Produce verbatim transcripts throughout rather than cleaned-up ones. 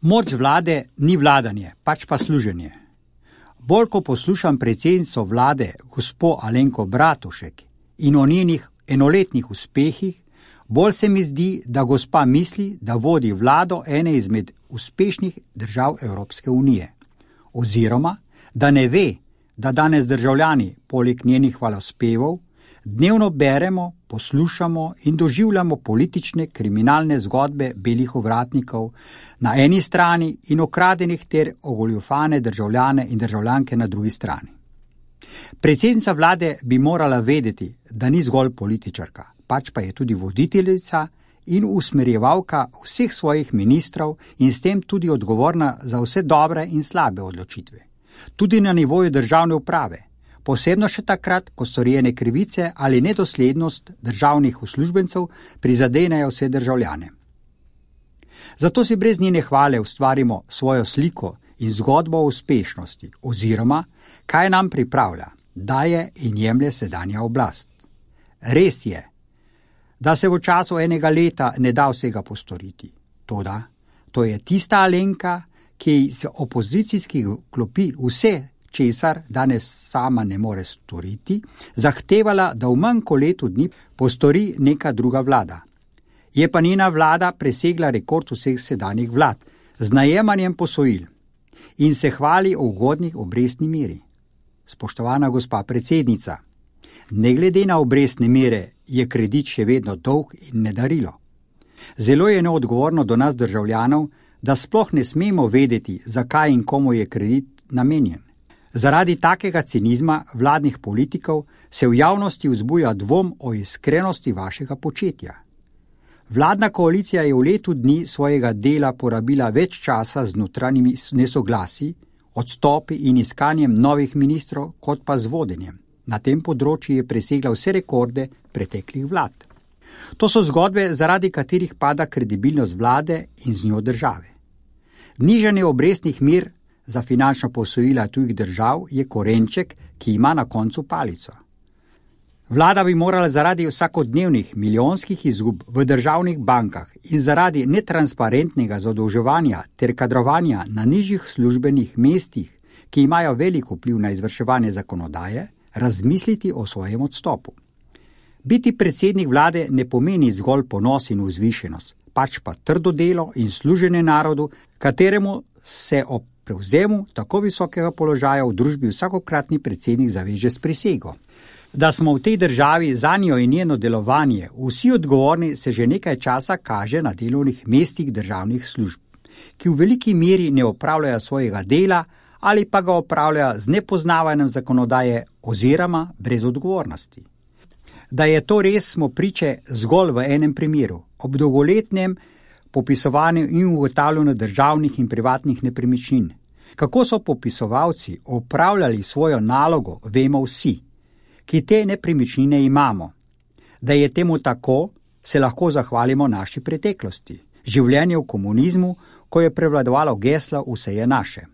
Moč vlade ni vladanje, pač pa služenje. Bolj ko poslušam predsednico vlade, gospo Alenko Bratušek, in o njenih enoletnih uspehih, bolj se mi zdi, da gospa misli, da vodi vlado ene izmed uspešnih držav Evropske unije. Oziroma, da ne ve, da danes državljani, poleg njenih hvalospevov, dnevno beremo, poslušamo in doživljamo politične kriminalne zgodbe belih ovratnikov na eni strani in okradenih ter ogoljufane državljane in državljanke na drugi strani. Predsednica vlade bi morala vedeti, da ni zgolj političarka, pač pa je tudi voditeljica in usmerjevalka vseh svojih ministrov in s tem tudi odgovorna za vse dobre in slabe odločitve. Tudi na nivoju državne uprave, posebno še takrat, ko storjene krivice ali nedoslednost državnih uslužbencev prizadenejo vse državljane. Zato si brez njene hvale ustvarimo svojo sliko in zgodbo o uspešnosti oziroma kaj nam pripravlja, daje in jemlje sedanja oblast. Res je, da se v času enega leta ne da vsega postoriti. Toda, to je tista Alenka, ki iz opozicijskih klopi vse, česar danes sama ne more storiti, zahtevala, da v manj kot letu dni postori neka druga vlada. Je pa njena vlada presegla rekord vseh sedanjih vlad z najemanjem posojil in se hvali o ugodnih obrestni meri. Spoštovana gospa predsednica, ne glede na obrestne mere je kredit še vedno dolg in nedarilo. Zelo je neodgovorno do nas državljanov, da sploh ne smemo vedeti, zakaj in komu je kredit namenjen. Zaradi takega cinizma vladnih politikov se v javnosti vzbuja dvom o iskrenosti vašega početja. Vladna koalicija je v letu dni svojega dela porabila več časa z notranjimi nesoglasi, odstopi in iskanjem novih ministrov, kot pa z vodenjem. Na tem področju je presegla vse rekorde preteklih vlad. To so zgodbe, zaradi katerih pada kredibilnost vlade in z njo države. Nižanje obrestnih mer za finančna posojila tujih držav je korenček, ki ima na koncu palico. Vlada bi morala zaradi vsakodnevnih milijonskih izgub v državnih bankah in zaradi netransparentnega zadolževanja ter kadrovanja na nižjih službenih mestih, ki imajo velik vpliv na izvrševanje zakonodaje, razmisliti o svojem odstopu. Biti predsednik vlade ne pomeni zgolj ponos in vzvišenost, pač pa trdo delo in služenje narodu, kateremu se ob prevzemu tako visokega položaja v družbi vsakokratni predsednik zaveže s prisego. Da smo v tej državi zanjo in njeno delovanje vsi odgovorni, se že nekaj časa kaže na delovnih mestih državnih služb, ki v veliki meri ne opravljajo svojega dela ali pa ga opravljajo z nepoznavanjem zakonodaje oziroma brez odgovornosti. Da je to res, smo priče zgolj v enem primeru, ob dolgoletnem popisovanju in ugotavljanju državnih in privatnih nepremičnin. Kako so popisovalci opravljali svojo nalogo, vemo vsi, ki te nepremičnine imamo. Da je temu tako, se lahko zahvalimo naši preteklosti. Življenje v komunizmu, ko je prevladovalo geslo vse je naše.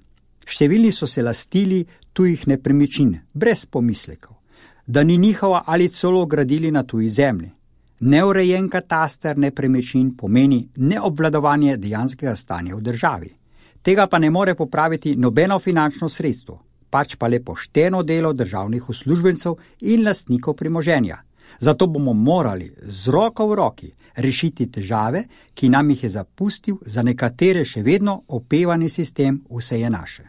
Številni so se lastili tujih nepremičnin, brez pomislekov, da ni njihova ali celo gradili na tuji zemlji. Neurejen kataster nepremičnin pomeni neobvladovanje dejanskega stanja v državi. Tega pa ne more popraviti nobeno finančno sredstvo, pač pa le pošteno delo državnih uslužbencev in lastnikov premoženja. Zato bomo morali z roko v roki rešiti težave, ki nam jih je zapustil za nekatere še vedno opevani sistem vse je naše.